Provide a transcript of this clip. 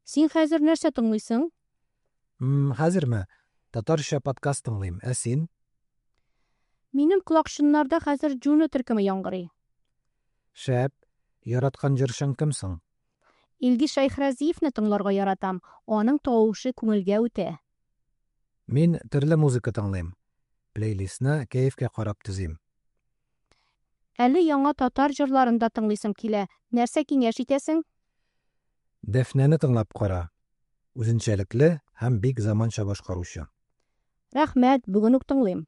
Син хәзер нәрсә тыңлыйсың? Хәзерме? Татарча подкаст тыңлыйм. Ә син? Минем колакчыннарда хәзер Juno төркеме яңгырый. Шәп! Яраткан җырчың кем соң? Илгиз Шәйхразиевны тыңларга яратам, аның тавышы күңелгә үтә. Мин төрле музыка тыңлыйм. Плейлистны кәефкә карап төзим. Әле яңа татар җырларын да тыңлыйсым килә. Нәрсә киңәш итәсең? Дәфнәне тыңлап кара. Үзенчәлекле һәм бик заманча башкаручы. Рәхмәт, бүген үк тыңлыйм.